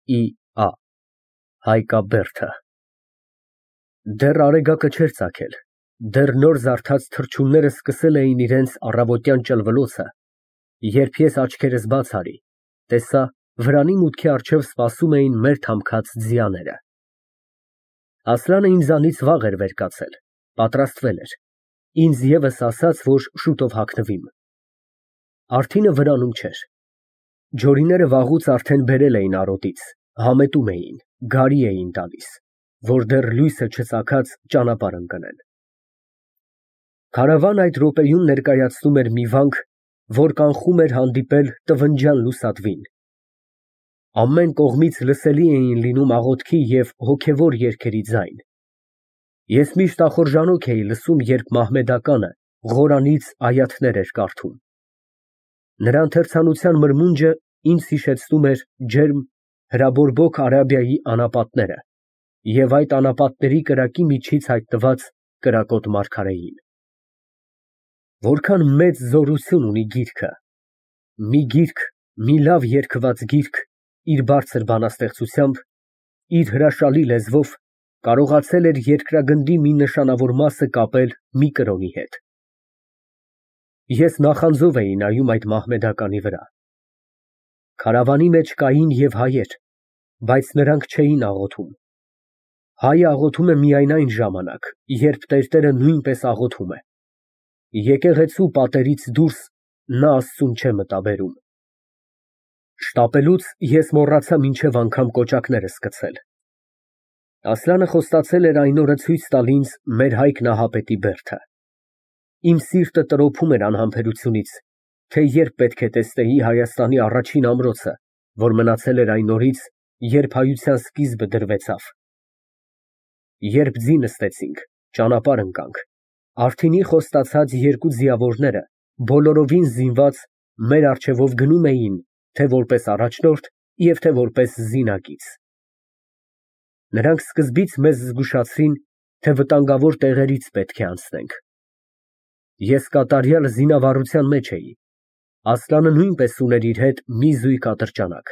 Ա Հայկաբերդը Դեռ արեգակը չէր ծագել, դեռ նոր զարթած թռչունները սկսել էին իրենց առավոտյան ճլվլոցը, երբ ես աչքերս բաց արի, տեսա վրանի մուտքի առջև սպասում էին մեր թամքած ձիաները։ Ասլանը ինձանից վաղ էր վեր կացել, պատրաստվել էր, ինձ ևս ասաց, որ շուտով հագնվիմ։ Արթինը վրանում չէր։ Ջորիները վաղուց արդեն բերել էին արոտից, համետում էին, գարի էին տալիս, որ դեռ լույսը չծագած ճանապարհ ընկնեն։ Քարավանը այդ րոպեում ներկայացնում էր մի վանք, որ կանխում էր հանդիպել տվնջյան լուսադվին։ Ամեն կողմից լսելի էին լինում աղոթքի և հոգևոր երգերի ձայն։ Ես միշտ ախորժանոք էի լսում, երբ մահմեդականը Ղորանից այաթներ էր կարդում։ Նրա ընթերցանության մրմունջը ինձ հիշեցնում էր ջերմ հրաբորբոք Արաբիայի անապատները և այդ անապատների կրակի միջից հայտնված կրակոտ մարգարեին։ Որքան մեծ զորություն ունի գիրքը, մի լավ երգված գիրք, իր բարձր բանաստեղծությամբ, իր հրաշալի լեզվով կարողացել էր երկրագնդի մի նշանավոր մասը կապել մի կրոնի հետ։ Ես նախանձով էի նայում այդ մահմեդականի վրա։ Քարավանի մեջ կային և հայեր, բայց նրանք չէին աղոթում։ Հայը աղոթում է միայն այն ժամանակ, երբ տերտերը նույնպես աղոթում է։ Եկեղեցու պատերից դուրս նա Աստծուն չէ մտաբերում։ Շտապելուց ես մոռացա մինչև անգամ կոճակները սկցել։ Ասլանը խոստացել էր այն օրը ցույց տալ ինձ մեր Հայկ Նահապետի բերդը։ Իմ սիրտը տրոփում էր անհամբերությունից, թե երբ պետք է տեսնեի Հայաստանի առաջին ամրոցը, որ մնացել էր այն օրից, երբ հայության սկիզբը դրվեցավ։ Երբ ձի նստեցինք, ճանապարհ ընկանք, Արթինի խոստացած երկու ձիավորները, բոլորովին զինված, մեր առջևով գնում էին, թե որպես առաջնորդ և թե որպես զինակից։ Նրանք սկզբից մեզ զգուշացրին, թե վտանգավոր տեղերից պետք է անցնենք։ Ես կատարյալ զինավառության մեջ էի, Ասլանը նույնպես ուներ իր հետ մի զույգ ատրճանակ։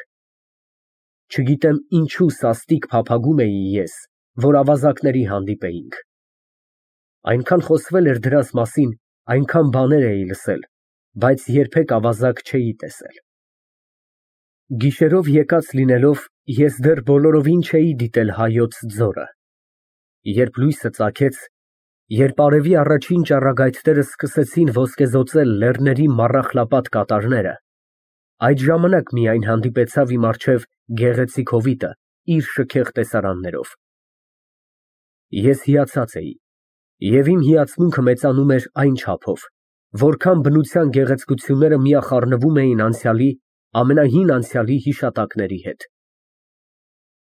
Չգիտեմ ինչու սաստիկ փափագում էի ես, որ ավազակների հանդիպեինք։ Այնքան խոսվել էր դրանց մասին, այնքան բաներ էի լսել, բայց երբեք ավազակ չէի տեսել։ Գիշերով եկած լինելով, ես դեռ բոլորովին չէի դիտել Հայոց ձորը։ Երբ լույսը ծագեց, երբ արևի առաջին ճառագայթները սկսեցին ոսկեզօծել լեռների մառախլապատ կատարները, այդ ժամանակ միայն հանդիպեցավ իմ առջև գեղեցիկ հովիտը իր շքեղ տեսարաններով։ Ես հիացած էի, և իմ հիացմունքը մեծանում էր այն չափով, որքան բնության գեղեցկությունները միախառնվում էին անցյալի, ամենահին անցյալի հիշատակների հետ։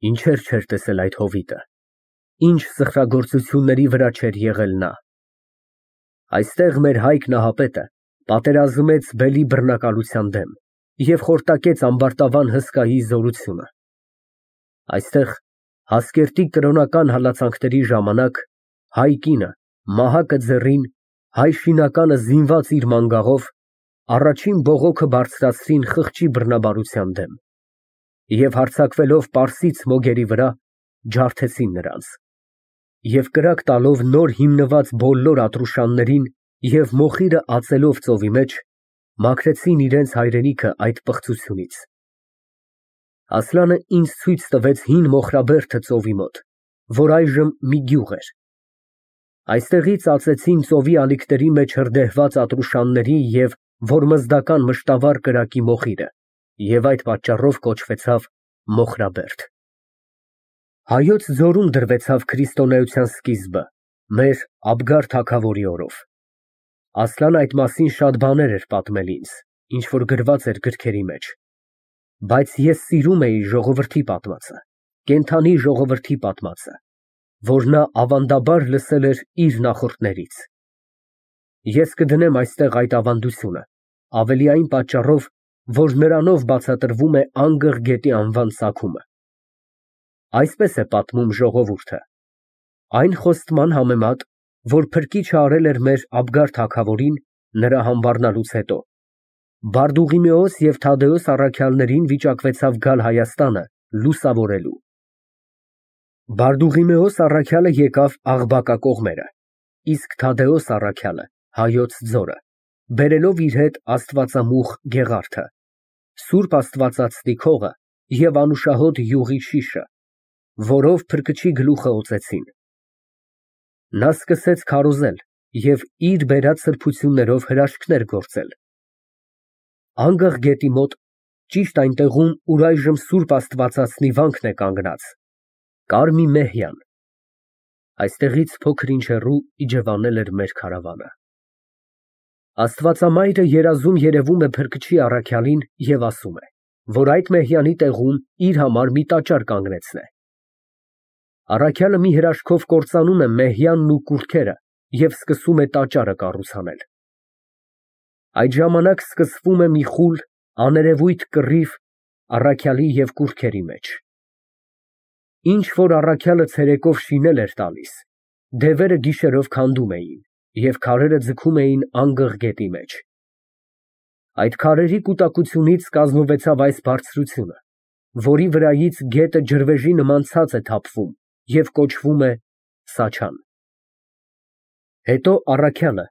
Ինչեր չէր տեսել այդ հովիտը, ինչ սխրագործությունների վրա չէր եղել նա։ Այստեղ մեր Հայկ Նահապետը պատերազմեց բելի բռնակալության դեմ և խորտակեց ամբարտավան հսկայի զորությունը։ Այստեղ Հասկերտի կրոնական հալածանքների ժամանակ հայ կինը, մահակը ձեռին, հայ շինականը զինված իր մանգաղով, առաջին բողոքը բարձրացրին խղճի բռնաբարության դեմ և հարձակվելով պարսից մոգերի վրա, ջարդեցին նրանց և կրակ տալով նոր հիմնված բոլոր Ատրուշաններին և մոխիրը ածելով ծովի մեջ, մաքրեցին իրենց հայրենիքը այդ պղծությունից։ Ասլանը ինձ ցույց տվեց հին Մոխրաբերդը ծովի մոտ, որ այժմ մի գյուղ էր։ Այստեղից ածեցին ծովի ալիքների մեջ հրդեհված Ատրուշանների և որմզդական մշտավառ կրակի մոխիրը և այդ պատճառով կոչվեցավ Մոխրաբերդ։ Հայոց ձորում դրվեցավ քրիստոնեության սկիզբը, մեր Աբգար թագավորի օրով։ Ասլանը այդ մասին շատ բաներ էր պատմել ինձ, ինչ որ գրված էր գրքերի մեջ, բայց ես սիրում էի ժողովրդի պատմածը, կենդանի ժողովրդի պատմածը, որ նա ավանդաբար լսել էր իր նախորդներից։ Ես կդնեմ այստեղ այդ ավանդությունը, ավելի այն պատճառով, որ նրանով բացատրվում է Անգղ գետի անվան ծագումը։ Այսպես է պատմում ժողովուրդը. այն խոստման համեմատ, որ փրկիչը արել էր մեր Աբգար թագավորին նրա համբառնալուց հետո, Բարդուղիմեոս և Թադեոս առաքյալներին վիճակվեցավ գալ Հայաստանը լուսավորելու։ Բարդուղիմեոս առաքյալը եկավ Աղբակա կողմերը, իսկ Թադեոս առաքյալը հայոց ձորը, բերելով իր հետ աստվածամուխ Գեղարդը, Սուրբ Աստվածածնի քողը և անուշահոտ յուղի շիշը, որով փրկչի գլուխը օծեցին։ Նա սկսեց քարոզել և իր բերած սրբություններով հրաշքներ գործել։ Անգղ գետի մոտ, ճիշտ այնտեղում, ուր այժմ Սուրբ Աստվածածնի վանքն է կանգնած, կար մի մեհյան։ Այստեղից փոքր ինչ հեռու իջևանել էր մեր քարավանը։ Աստվածամայրը երազում երևում է փրկչի առաքյալին և ասում է, որ այդ մեհյանի տեղում իր համար մի տաճար կանգնեցնե։ Առաքյալը մի հրաշքով կործանում է մեհյանն ու կուռքերը և սկսում է տաճարը կառուցանել։ Այդ ժամանակ սկսվում է մի խուլ, աներևույթ կռիվ առաքյալի և կուռքերի մեջ։ Ինչ որ առաքյալը ցերեկով շինել էր տալիս, դևերը գիշերով քանդում էին և քարերը ձգում էին անգղ գետի մեջ։ Այդ քարերի կուտակությունից կազմվեցավ այս բարձրությունը, որի վրայից գետը ջրվեժի նման ցած է թափվում և կոչվում է Սաչան։ Հետո առաքյալը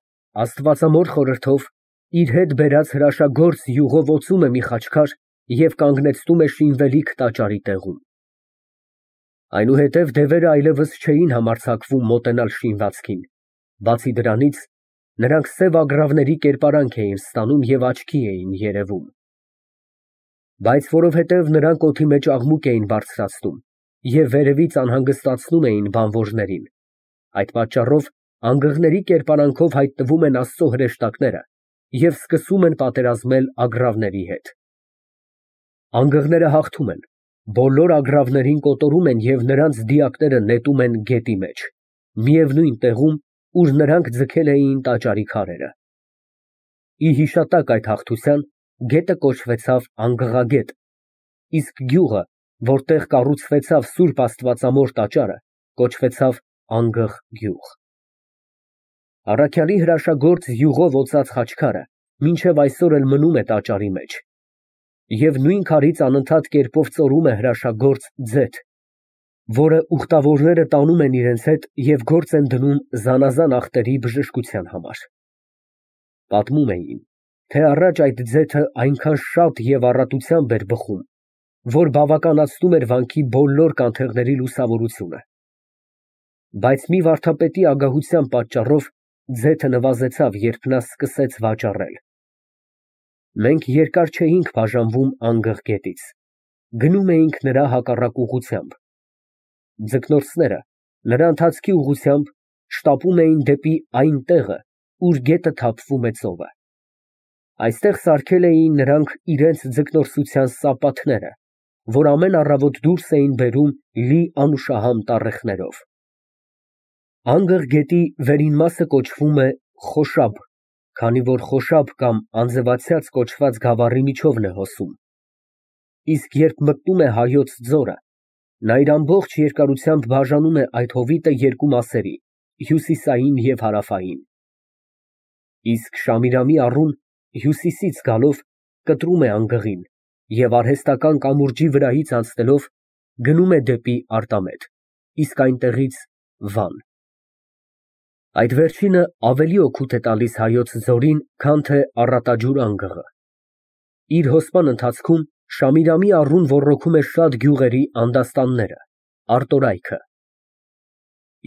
աստվածամոր խորհրդով իր հետ բերած հրաշագործ յուղով օծում է մի խաչքար և կանգնեցնում է շինվելիք տաճարի տեղում։ Այնուհետև դևերը այլևս չէին համարձակվում մոտենալ շինվածքին, բացի դրանից, նրանք սև ագռավների կերպարանք էին ստանում և աչքի էին երևում։ Բայց որովհետև նրանք օդի մեջ աղմուկ էին բարձրացնում և վերևից անհանգստացնում էին բանվորներին, այդ պատճառով անգղների կերպարանքով հայտնվում են Աստծո հրեշտակները և սկսում են պատերազմել ագռավների հետ։ Անգղները հաղթում են, բոլոր ագռավներին կոտորում են և նրանց դիակները նետում են գետի մեջ, միևնույն տեղում, ուր նրանք ձգել էին տաճարի քարերը։ Ի հիշատակ այդ հաղթության գետը կոչվեցավ Անգղագետ, իսկ գյուղը, որտեղ կառուցվեցավ Սուրբ Աստվածամոր տաճարը, կոչվեցավ Անգղ գյուղ։ Առաքյալի հրաշագործ յուղով օծած խաչքարը մինչև այսօր էլ մնում է տաճարի մեջ, և նույն քարից անընդհատ կերպով ծորում է հրաշագործ ձեթ, որը ուխտավորները տանում են իրենց հետ և գործ են դնում զանազան ախտերի բժշկության համար։ Պատմում էին, թե առաջ այդ ձեթը այնքան շատ և առատությամբ էր բխում, որ բավականացնում էր վանքի բոլոր կանթեղների լուսավորությունը։ Բայց մի վարդապետի ագահության պատճառով ձեթը նվազեցավ, երբ նա սկսեց վաճառել։ Մենք երկար չէինք բաժանվում Անգղ գետից, գնում էինք նրա հակառակ ուղղությամբ։ Ձկնորսները նրա ընթացքի ուղղությամբ շտապում էին դեպի այն տեղը, ուր գետը թափվում է ծովը։ Այստեղ սարքել էին նրանք իրենց ձկնորսության սապաթները, որ ամեն առավոտ դուրս էին բերում լի անուշահամ տառեխներով։ Անգղ գետի վերին մասը կոչվում է Խոշաբ, քանի որ Խոշաբ կամ անձևացյաց կոչված գավառի միջովն է հոսում։ Իսկ երբ մտնում է Հայոց ձորը, նա իր ամբողջ երկարությամբ բաժանում է այդ հովիտը երկու մասերի՝ հյուսիսային և հարավային։ Իսկ Շամիրամի առուն հյուսիսից գալով կտրում է անգղին և արհեստական կամուրջի վրայից անցնելով գնում է դեպի Արտամետ, իսկ այնտեղից Վան։ Այդ վերջինը ավելի օգուտ է տալիս Հայոց ձորին, քան թե Առատաջուր անգղը։ Իր հոսման ընթացքում Շամիրամի առուն ոռոգում է շատ գյուղերի անդաստանները, արտորայքը։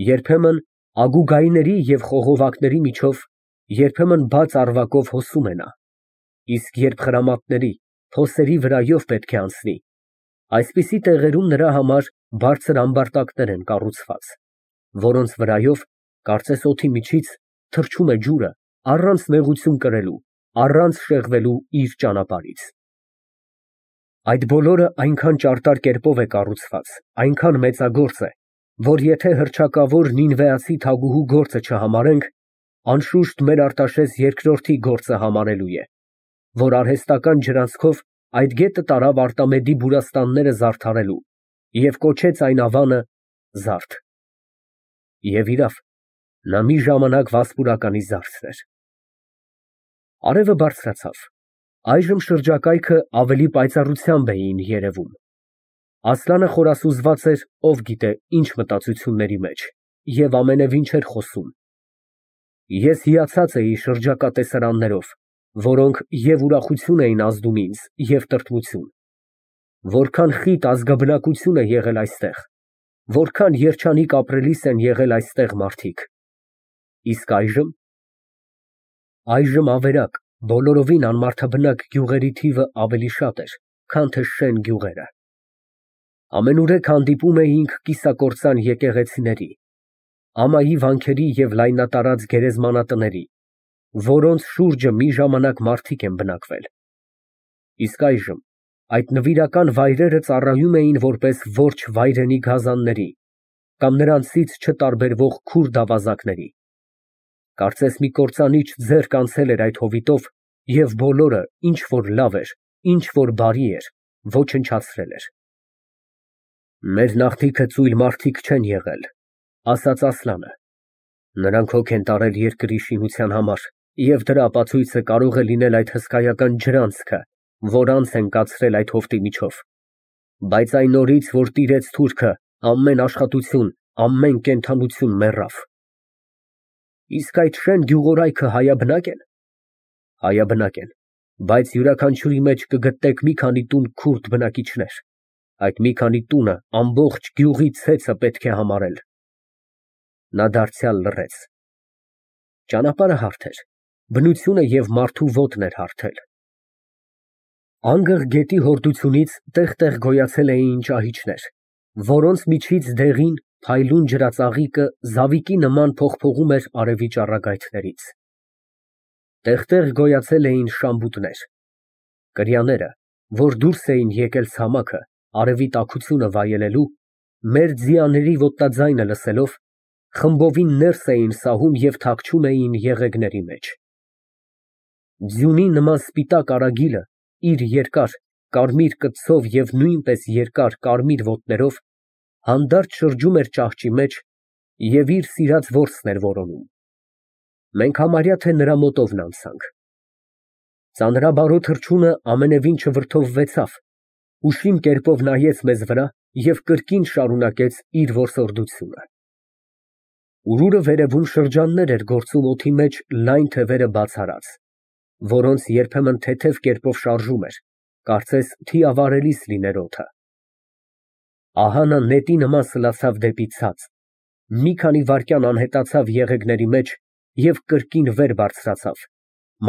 Երբեմն ագուգայիների և խողովակների միջով, երբեմն բաց առվակով հոսում է նա, իսկ երբ խրամատների, փոսերի վրայով պետք է անցնի, այսպիսի տեղերում նրա համար բարձր ամբարտակներ են կառուցված, որոնց վրայով, կարծես օդի միջից, թռչում է ջուրը առանց նեղություն կրելու, առանց շեղվելու իր ճանապարհից։ Այդ բոլորը այնքան ճարտար կերպով է կառուցված, այնքան մեծագործ է, որ եթե հռչակավոր նինվեացի թագուհու գործը չհամարենք, անշուշտ մեր Արտաշես II գործը համարելու է, որ արհեստական ջրանցքով այդ գետը տարավ Արտամեդի բուրաստանները զարդարելու և կոչեց այն ավանը Զարդ։ Եվ իրավ, նա մի ժամանակ Վասպուրականի զարդն էր։ Արևը բարձրացավ, այժմ շրջակայքը ավելի պայծառությամբ էին երևում։ Ասլանը խորասուզված էր ով գիտե ինչ մտածությունների մեջ և ամենևին չէր խոսում։ Ես հիացած էի շրջակա տեսարաններով, որոնք և ուրախություն էին ազդում ինձ, և տրտմություն, որքան խիտ ազգաբնակություն է եղել այստեղ, որքան երջանիկ ապրելիս են եղել այստեղ մարդիկ։ Իսկ այժմ… Այժմ ավերակ, բոլորովին անմարդաբնակ գյուղերի թիվը ավելի շատ էր, քան թե շեն գյուղերը։ Ամենուրեք հանդիպում էինք կիսակործան եկեղեցիների, ամայի վանքերի և լայնատարած գերեզմանատների, որոնց շուրջը մի ժամանակ մարդիկ են բնակվել։ Իսկ այժմ այդ նվիրական վայրերը ծառայում էին որպես որջ վայրենի գազանների կամ նրանցից չտարբերվող քուրդ ավազակների։ Կարծես մի կործանիչ ձեռք անցել էր այդ հովիտով և բոլորը, ինչ որ լավ էր, ինչ որ բարի էր, ոչնչացրել էր։ Մեր նախնիքը ծույլ մարդիկ չեն եղել, ասաց Ասլանը։ Նրանք հոգ են տարել երկրի շինության համար, և դրա ապացույցը կարող է լինել այդ հսկայական ջրանցքը, որ անց են կացրել այդ հովտի միջով։ Բայց այն օրից, որ տիրեց թուրքը, ամեն աշխատություն, ամեն կենդանություն մեռավ։ Իսկ այդ շեն գյուղորայքը հայաբնակ են։ Հայաբնակ են, բայց յուրաքանչյուրի մեջ կգտնեք մի քանի տուն քուրդ բնակիչներ։ Այդ մի քանի տունը ամբողջ գյուղի ցեցը պետք է համարել։ Նա դարձյալ լռեց։ Ճանապարհը հարթ էր, բնությունը և մարդու ոտն էր հարթել։ Անգղ գետի հորդությունից տեղ֊տեղ գոյացել էին ճահիճներ, որոնց միջից դեղին, փայլուն ջրածաղիկը զավիկի նման փողփողում էր արևի ճառագայթներից։ Տեղ֊տեղ գոյացել էին շամբուտներ, կրյաները, որ դուրս էին եկել ցամաքը, արևի տաքությունը վայելելու, մեր ձիաների ոտնաձայնը լսելով, խմբովին ներս էին սահում և թաքչում էին եղեգների մեջ։ Ձյունի նման սպիտակ արագիլը իր երկար, կարմիր կծով և նույնպես երկար, կարմիր ոտներով հանդարտ շրջում էր ճահճի մեջ և իր սիրած որսն էր որոնում։ Մենք համարյա թե նրա մոտովն անցանք։ Ծանրաբարո թռչունը ամենևին չվրդովվեցավ, ուշիմ կերպով նայեց մեզ վրա և կրկին շարունակեց իր որսորդությունը։ Ուրուրը վերևում շրջաններ էր գործում օդի մեջ լայն թևերը բաց արած, որոնց երբեմն թեթև կերպով շարժում էր, կարծես թիավարելիս լիներ օդը։ Ահա նա նետի նման սլացավ դեպի ցած, մի քանի վայրկյան անհետացավ եղեգների մեջ և կրկին վեր բարձրացավ,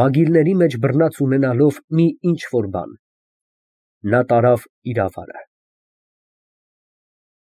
մագիլների մեջ բռնած ունենալով մի ինչ֊որ բան։ Նա տարավ իր ավարը։